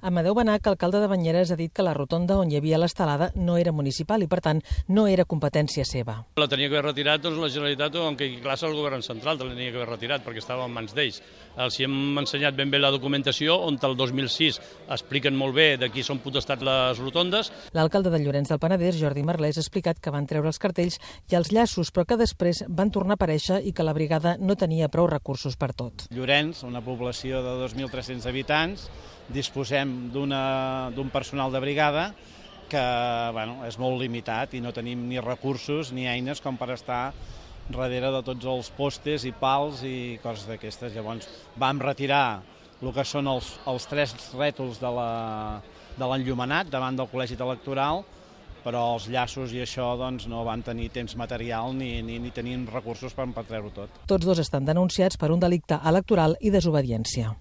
Amadeu Benach, alcalde de Banyeres, ha dit que la rotonda on hi havia l'estelada no era municipal i, per tant, no era competència seva. La tenia que haver retirat la Generalitat o en caigui classe el govern central, la tenia que haver retirat perquè estava en mans d'ells. Els hem ensenyat ben bé la documentació on el 2006 expliquen molt bé de qui són potestat les rotondes. L'alcalde de Llorenç del Penedès, Jordi Merlès, ha explicat que van treure els cartells i els llaços, però que després van tornar a aparèixer i que la brigada no tenia prou recursos per tot. Llorenç, una població de 2.300 habitants, disposem d'un personal de brigada que és molt limitat i no tenim ni recursos ni eines com per estar darrere de tots els postes i pals i coses d'aquestes. Llavors vam retirar el que són els 3 rètols de l'enllumenat davant del col·legi electoral, però els llaços i això no van tenir temps material ni tenien recursos per treure-ho tot. Tots dos estan denunciats per un delicte electoral i desobediència.